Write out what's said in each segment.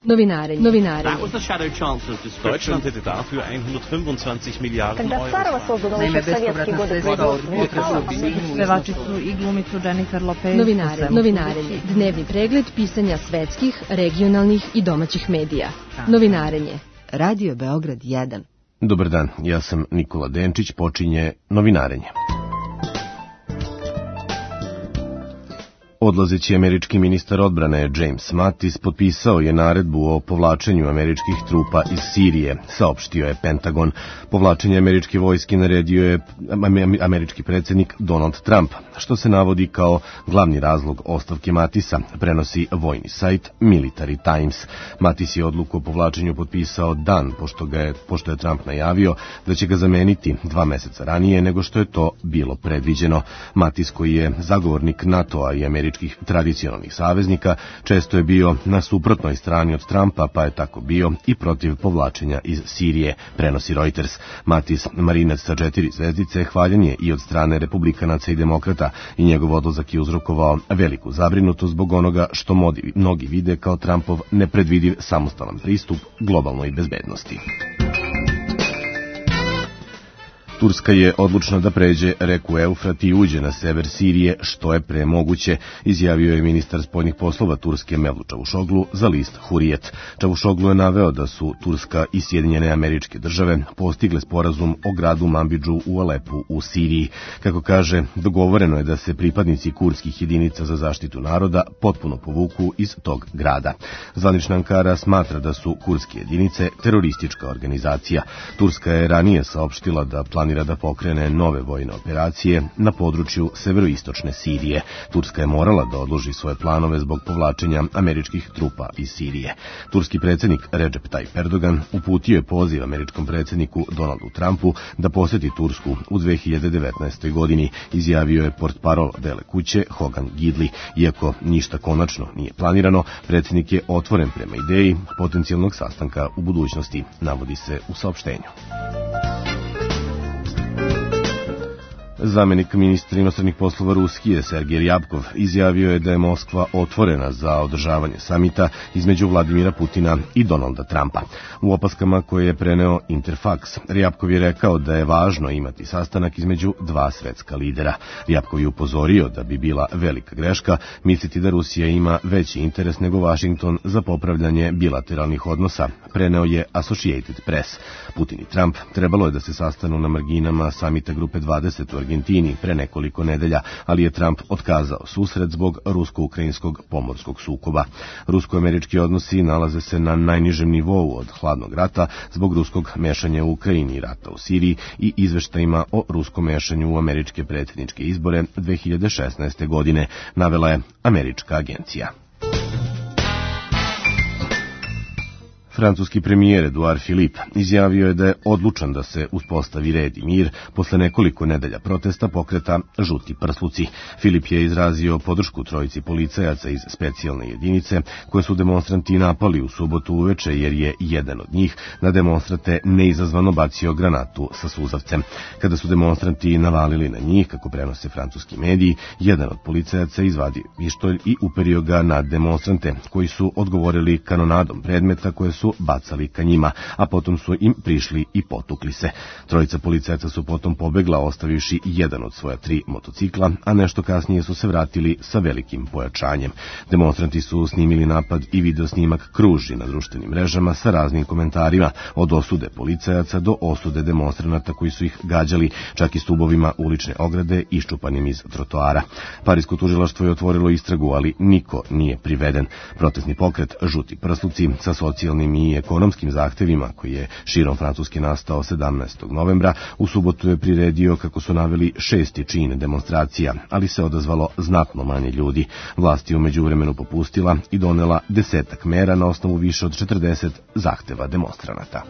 Novinarenje. Deutschland hätte dafür 125 Miliarden Euro. Naime, bespovratna sredstva od pevačicu i glumicu Jennifer Lopez. Novinarenje. Dnevni pregled pisanja svetskih, regionalnih i domaćih medija. Novinarenje. Radio Beograd 1. Dobar dan, ja sam Nikola Denčić, počinje Novinarenje. Odlazeći američki ministar odbrane James Mattis potpisao je naredbu o povlačenju američkih trupa iz Sirije, saopštio je Pentagon. Povlačenje američke vojske naredio je američki predsjednik Donald Trump, što se navodi kao glavni razlog ostavke Mattisa, prenosi vojni sajt Military Times. Mattis je odluku o povlačenju potpisao dan pošto je Trump najavio da će ga zameniti 2 meseca ranije nego što je to bilo predviđeno. Mattis, koji je zagovornik NATO-a i američkih tradicionalnih saveznika, često je bio na suprotnoj strani od Trumpa, pa je tako bio i protiv povlačenja iz Sirije, prenosi Reuters. Mattis, marinac sa 4 zvezdice, hvaljen je i od strane republikanaca i demokrata i njegov odlazak je uzrokovao veliku zabrinutost zbog onoga što mnogi vide kao Trumpov nepredvidiv samostalan pristup globalnoj bezbednosti. Turska je odlučna da pređe reku Eufrat i uđe na sever Sirije, što je pre moguće, izjavio je ministar spoljnih poslova Turske Mevlut Čavuşoglu za list Hurrijet. Čavuşoglu je naveo da su Turska i Sjedinjene Američke Države postigle sporazum o gradu Manbidžu u Alepu u Siriji. Kako kaže, dogovoreno je da se pripadnici kurdskih jedinica za zaštitu naroda potpuno povuku iz tog grada. Zvanična Ankara smatra da su kurdske jedinice teroristička organizacija. Turska je ranije saopštila da planira da pokrene nove vojne operacije na području severoistočne Sirije. Turska je morala da odloži svoje planove zbog povlačenja američkih trupa iz Sirije. Turski predsjednik Recep Tayyip Erdogan uputio je poziv američkom predsjedniku Donaldu Trumpu da posjeti Tursku u 2019. godini, izjavio je portparol Bele kuće Hogan Gidley. Iako ništa konačno nije planirano, predsjednik je otvoren prema ideji potencijalnog sastanka u budućnosti, navodi se u saopštenju. Zamenik ministra inostranih poslova Rusije Sergej Ryabkov izjavio je da je Moskva otvorena za održavanje samita između Vladimira Putina i Donalda Trumpa. U opaskama koje je preneo Interfax, Ryabkov je rekao da je važno imati sastanak između 2 svetska lidera. Ryabkov je upozorio da bi bila velika greška misliti da Rusija ima veći interes nego Washington za popravljanje bilateralnih odnosa, preneo je Associated Press. Putin i Trump trebalo je da se sastanu na marginama samita Grupe 20 u Argentini pre nekoliko nedelja, ali je Trump otkazao susret zbog rusko-ukrajinskog pomorskog sukoba. Rusko-američki odnosi nalaze se na najnižem nivou od hladnog rata zbog ruskog mešanja u Ukrajini i rata u Siriji i izveštajima o ruskom mešanju u američke predsjedničke izbore 2016. godine, navela je američka agencija. Francuski premijer Edouard Philippe izjavio je da je odlučan da se uspostavi red i mir posle nekoliko nedelja protesta pokreta Žuti prsluci. Philippe je izrazio podršku trojici policajaca iz specijalne jedinice koje su demonstranti napali u subotu uveče jer je jedan od njih na demonstrante neizazvano bacio granatu sa suzavcem. Kada su demonstranti navalili na njih, kako prenose francuski mediji, jedan od policajaca izvadio pištolj i uperio ga na demonstrante koji su odgovorili kanonadom predmeta koje su bacali ka njima, a potom su im prišli i potukli se. Trojica policajaca su potom pobegla ostavivši jedan od svoja 3 motocikla, a nešto kasnije su se vratili sa velikim pojačanjem. Demonstranti su snimili napad i video snimak kruži na društvenim mrežama sa raznim komentarima, od osude policajaca do osude demonstranata koji su ih gađali, čak i stubovima ulične ograde iščupanim iz trotoara. Parisko tužilaštvo je otvorilo istragu, ali niko nije priveden. Protestni pokret Žuti prsluci sa socijalnim i ekonomskim zahtevima, koji je širom Francuske nastao 17. novembra, u subotu je priredio, kako su naveli, 6. čin demonstracija, ali se odazvalo znatno manje ljudi. Vlast je u međuvremenu popustila i donela 10 mera na osnovu više od 40 zahteva demonstranata.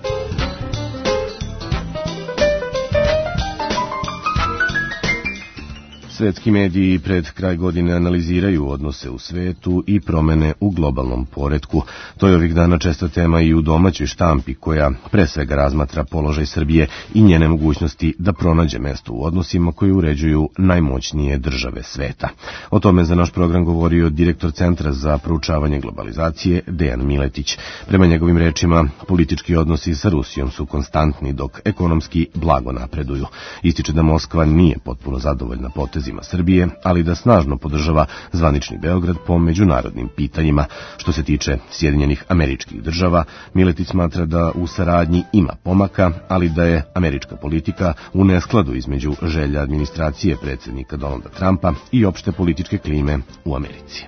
Svetski mediji pred kraj godine analiziraju odnose u svetu i promene u globalnom poretku. To je ovih dana česta tema i u domaćoj štampi koja pre svega razmatra položaj Srbije i njene mogućnosti da pronađe mesto u odnosima koji uređuju najmoćnije države sveta. O tome za naš program govorio direktor Centra za proučavanje globalizacije Dejan Miletić. Prema njegovim rečima, politički odnosi sa Rusijom su konstantni dok ekonomski blago napreduju. Ističe da Moskva nije potpuno zadovoljna potezima Srbije, ali da snažno podržava zvanični Beograd po međunarodnim pitanjima. Što se tiče Sjedinjenih Američkih Država, Miletić smatra da u saradnji ima pomaka, ali da je američka politika u neskladu između želja administracije predsjednika Donalda Trumpa i opšte političke klime u Americi.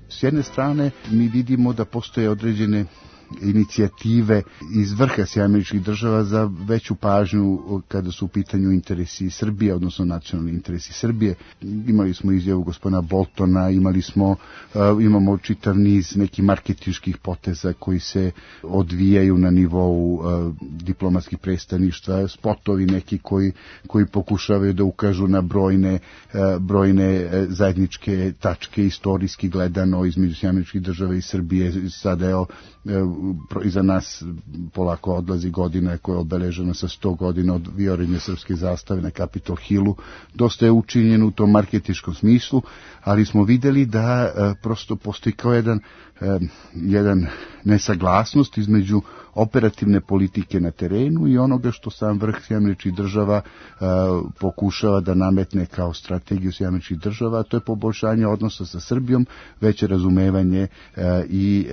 S jedne strane mi vidimo da postoje određene inicijative iz vrha Američkih Država za veću pažnju kada su u pitanju interesi Srbije, odnosno nacionalni interesi Srbije. Imali smo izjavu gospodina Boltona, imamo čitav niz nekih marketinških poteza koji se odvijaju na nivou diplomatskih predstavništva, spotovi neki koji pokušavaju da ukažu na brojne zajedničke tačke istorijski gledano između Američkih Država i Srbije. Sada je iza nas polako odlazi godina koja je obeležena sa 100 godina od vijorenja srpske zastave na Capitol Hillu. Dosta je učinjeno u tom marketinškom smislu, ali smo videli da prosto postoji kao jedan nesaglasnost između operativne politike na terenu i onoga što sam vrh Američkih Država pokušava da nametne kao strategiju Američkih Država, a to je poboljšanje odnosa sa Srbijom, veće razumevanje i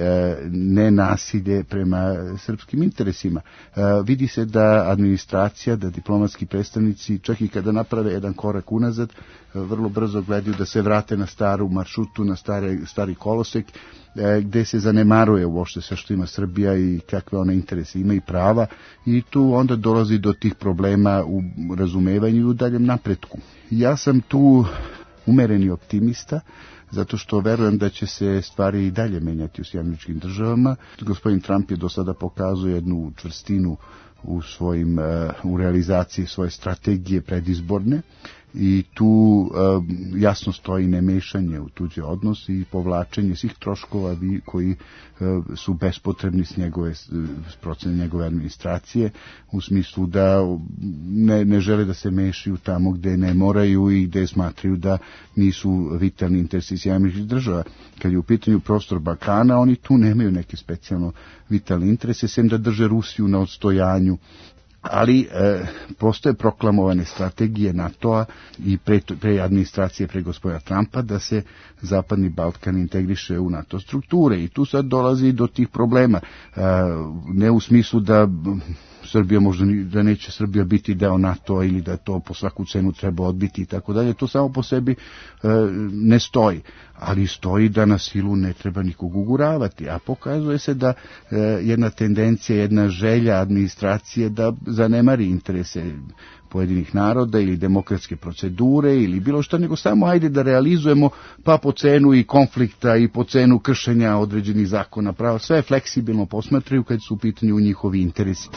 nenasilje prema srpskim interesima. Vidi se da administracija, da diplomatski predstavnici, čak i kada naprave jedan korak unazad, vrlo brzo gledaju da se vrate na staru maršrutu, na stari kolosek, gde se zanemaruje uopšte sve što ima Srbija i kakve one interese ima i prava, i tu onda dolazi do tih problema u razumevanju i u daljem napretku. Ja sam tu umereni optimista, zato što verujem da će se stvari i dalje menjati u Američkim Državama. Gospodin Trump je do sada pokazao jednu čvrstinu u realizaciji svoje strategije predizborne, i tu jasno stoji nemešanje u tuđe odnose i povlačenje svih troškova koji su bespotrebni s procene njegove administracije, u smislu da ne žele da se mešaju tamo gde ne moraju i gde smatraju da nisu vitalni interesi Američkih Država. Kad je u pitanju prostor Balkana, oni tu nemaju neke specijalno vitalne interese, sem da drže Rusiju na odstojanju. Ali postoje proklamovane strategije NATO-a i pre administracije pre gospodina Trumpa da se Zapadni Balkan integriše u NATO strukture, i tu sad dolazi do tih problema. Ne u smislu da Srbija možda da neće Srbija biti deo NATO ili da to po svaku cenu treba odbiti i tako dalje. To samo po sebi ne stoji, ali stoji da na silu ne treba nikog uguravati, a pokazuje se da jedna tendencija, jedna želja administracije da zanemari interese pojedinih naroda ili demokratske procedure ili bilo što, nego samo ajde da realizujemo, pa po cenu i konflikta i po cenu kršenja određenih zakona, prava, sve je fleksibilno posmatraju kad su u pitanju njihovi interesi.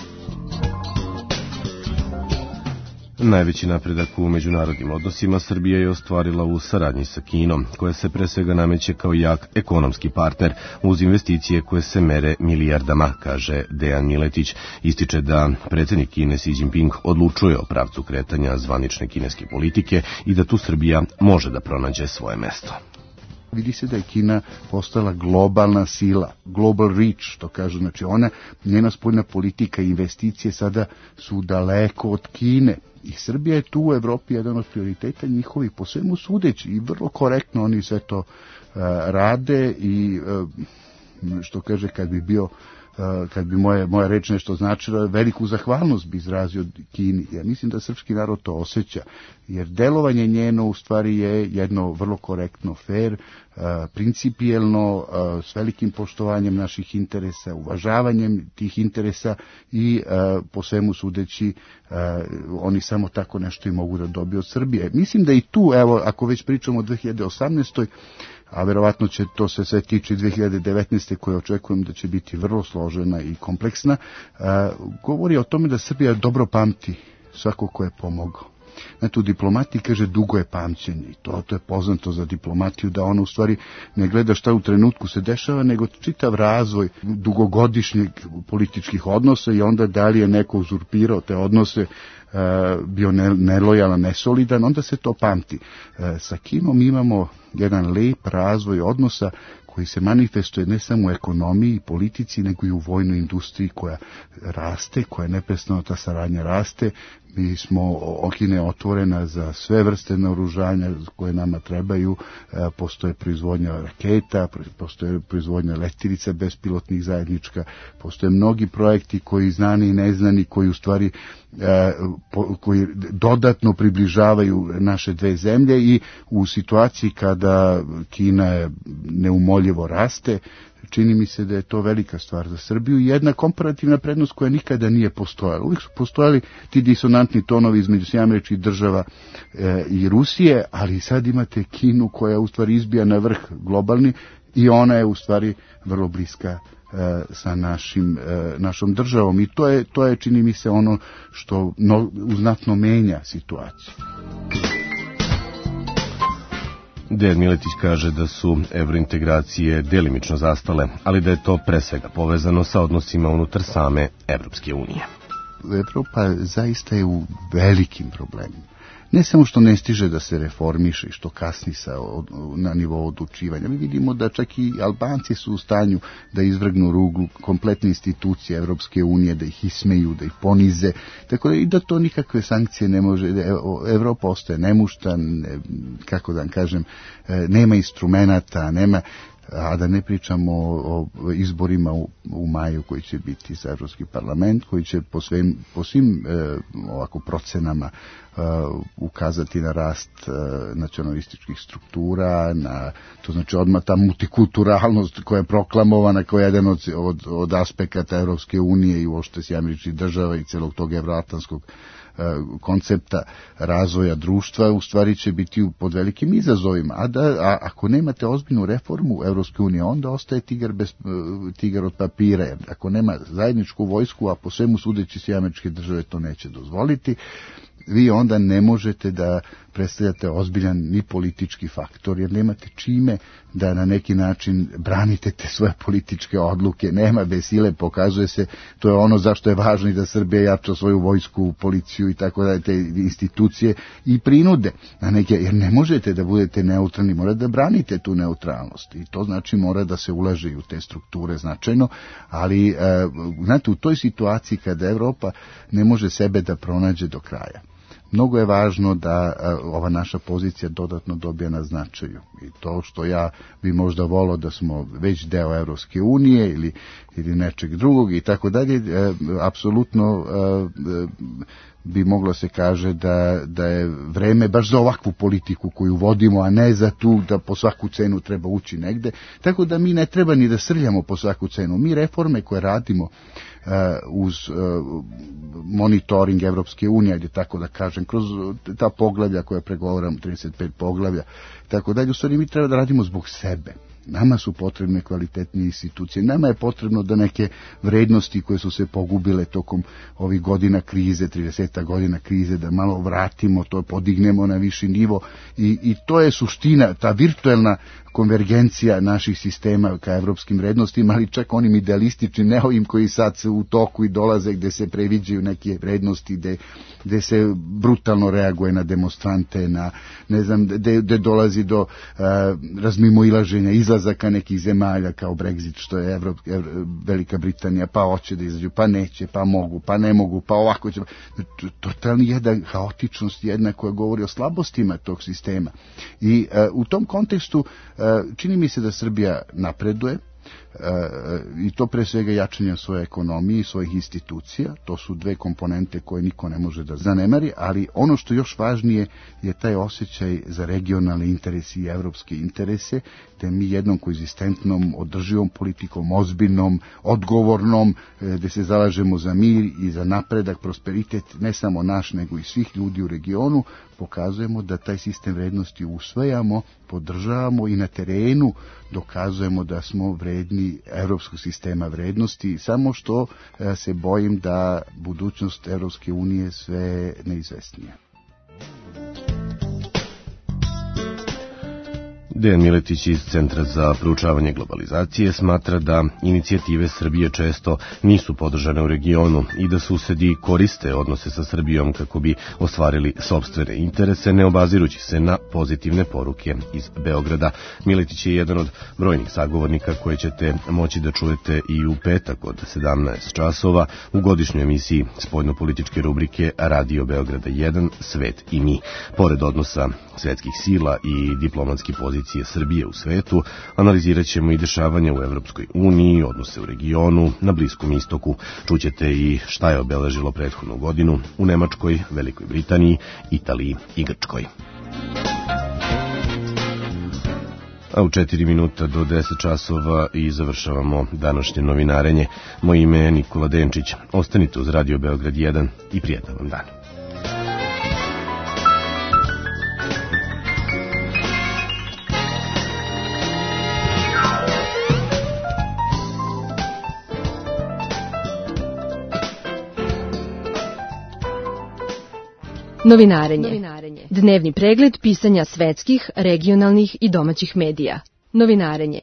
Najveći napredak u međunarodnim odnosima Srbija je ostvarila u saradnji sa Kinom, koja se pre svega nameće kao jak ekonomski partner uz investicije koje se mere milijardama, kaže Dejan Miletić. Ističe da predsjednik Kine Xi Jinping odlučuje o pravcu kretanja zvanične kineske politike i da tu Srbija može da pronađe svoje mesto. Vidi se da je Kina postala globalna sila, global reach, što kažu, znači njena spoljna politika i investicije sada su daleko od Kine. I Srbija je tu u Evropi jedan od prioriteta njihovih, po svemu sudeći, i vrlo korektno oni sve to rade, i što kaže, kad bi moja reč nešto značila, veliku zahvalnost bi izrazio Kini. Ja mislim da srpski narod to osjeća, jer delovanje njeno u stvari je jedno vrlo korektno, fair, principijelno, s velikim poštovanjem naših interesa, uvažavanjem tih interesa, i po svemu sudeći oni samo tako nešto i mogu da dobiju od Srbije. Mislim da i tu, evo, ako već pričamo o 2018. a verovatno će to se sve tiče 2019. koje očekujem da će biti vrlo složena i kompleksna, govori o tome da Srbija dobro pamti svako ko je pomogao. Znate, u diplomatiji kaže dugo je pamćenje i to je poznato za diplomatiju, da ona u stvari ne gleda šta u trenutku se dešava, nego čitav razvoj dugogodišnjeg političkih odnosa i onda da li je neko uzurpirao te odnose, bio nelojalan, nesolidan, onda se to pamti. Sa Kinom imamo jedan lep razvoj odnosa koji se manifestuje ne samo u ekonomiji i politici, nego i u vojnoj industriji koja raste, koja neprestano ta saradnja raste. Mi smo, Kina je otvorena za sve vrste naoružanja koje nama trebaju, postoje proizvodnja raketa, postoje proizvodnja letjelica bespilotnih zajednička, postoje mnogi projekti koji znani i neznani, koji u stvari koji dodatno približavaju naše dve zemlje i u situaciji kada Kina neumoljivo raste, čini mi se da je to velika stvar za Srbiju i jedna komparativna prednost koja nikada nije postojala. Uvijek su postojali ti disonantni tonovi između SAD i Rusije, ali sad imate Kinu koja u stvari izbija na vrh globalni i ona je u stvari vrlo bliska sa našom državom i to je čini mi se ono što znatno menja situaciju. Dejan Miletić kaže da su evrointegracije delimično zastale, ali da je to pre svega povezano sa odnosima unutar same Evropske unije. Evropa zaista je u velikim problemima. Ne samo što ne stiže da se reformiše i što kasni na nivou odlučivanja. Mi vidimo da čak i Albanci su u stanju da izvrgnu ruglu kompletne institucije Evropske unije, da ih ismeju, da ih ponize. Tako da i da to nikakve sankcije ne može. Evropa ostaje nemuštan, kako da kažem, nema instrumenata, nema... A da ne pričamo o izborima u maju koji će biti za Evropski parlament, koji će po svim ovako procenama ukazati na rast nacionalističkih struktura, to znači odmah ta multikulturalnost koja je proklamovana kao jedan od aspekata Evropske unije i uopšte Američkih država i celog tog evroatlantskog koncepta razvoja društva u stvari će biti pod velikim izazovima. A ako nemate ozbiljnu reformu Evropske unije, onda ostaje tigar od papira. Ako nema zajedničku vojsku, a po svemu sudeći SAD Američke države to neće dozvoliti, vi onda ne možete da predstavljate ozbiljan ni politički faktor, jer nemate čime da na neki način branite te svoje političke odluke. Nema bez sile, pokazuje se, to je ono zašto je važno i da Srbija jača svoju vojsku, policiju i tako da te institucije i prinude na neke, jer ne možete da budete neutralni, morate da branite tu neutralnost i to znači mora da se ulaže i u te strukture značajno, ali znate, u toj situaciji kada Evropa ne može sebe da pronađe do kraja, mnogo je važno da ova naša pozicija dodatno dobije na značaju. I to što ja bi možda volao da smo već deo Evropske unije ili nečeg drugog i tako dalje, apsolutno bi moglo se kaže da je vreme baš za ovakvu politiku koju vodimo, a ne za tu da po svaku cenu treba ući negde. Tako da mi ne treba ni da srljamo po svaku cenu. Mi reforme koje radimo uz monitoring Evropske unije, ajde tako da kažem, kroz ta poglavlja koja pregovaramo, 35 poglavlja, tako dalje, u stvari mi treba da radimo zbog sebe. Nama su potrebne kvalitetnije institucije, nama je potrebno da neke vrednosti koje su se pogubile tokom ovih godina krize, 30 godina krize, da malo vratimo, to podignemo na viši nivo i to je suština, ta virtuelna konvergencija naših sistema ka evropskim vrednostima, ali čak onim idealističnim, ne ovim koji sad se u toku i dolaze gde se previđaju neke vrednosti, gde se brutalno reaguje na demonstrante, na, ne znam, gde dolazi do razmimoilaženja, izlazaka nekih zemalja kao Brexit, što je Velika Britanija, pa hoće da izađu, pa neće, pa mogu, pa ne mogu, pa ovako će. Totalni jedna haotičnost, jedna koja govori o slabostima tog sistema. I u tom kontekstu čini mi se da Srbija napreduje i to pre svega jačanje svoje ekonomije i svojih institucija. To su dve komponente koje niko ne može da zanemari, ali ono što još važnije je taj osjećaj za regionalne interese i evropske interese, te mi jednom koegzistentnom, održivom politikom, ozbiljnom, odgovornom, gde se zalažemo za mir i za napredak, prosperitet, ne samo naš, nego i svih ljudi u regionu, pokazujemo da taj sistem vrednosti usvajamo, podržavamo i na terenu dokazujemo da smo vredni evropskog sistema vrednosti, samo što se bojim da budućnost Evropske unije sve neizvesnija. Dejan Miletić iz Centra za proučavanje globalizacije smatra da inicijative Srbije često nisu podržane u regionu i da susedi koriste odnose sa Srbijom kako bi ostvarili sopstvene interese, ne obazirući se na pozitivne poruke iz Beograda. Miletić je jedan od brojnih sagovornika koje ćete moći da čujete i u petak od 17 časova u godišnjoj emisiji spoljnopolitičke rubrike Radio Beograda 1 Svet i mi. Pored odnosa svetskih sila i diplomatske pozicije Srbije u svetu, analizirat ćemo i dešavanja u Evropskoj uniji, odnose u regionu, na Bliskom istoku. Čućete i šta je obeležilo prethodnu godinu u Nemačkoj, Velikoj Britaniji, Italiji i Grčkoj. A u 4 minuta do 10 časova i završavamo današnje novinarenje. Moje ime je Nikola Denčić. Ostanite uz Radio Beograd 1 i prijetan vam dan. Novinarenje. Dnevni pregled pisanja svetskih, regionalnih i domaćih medija. Novinarenje.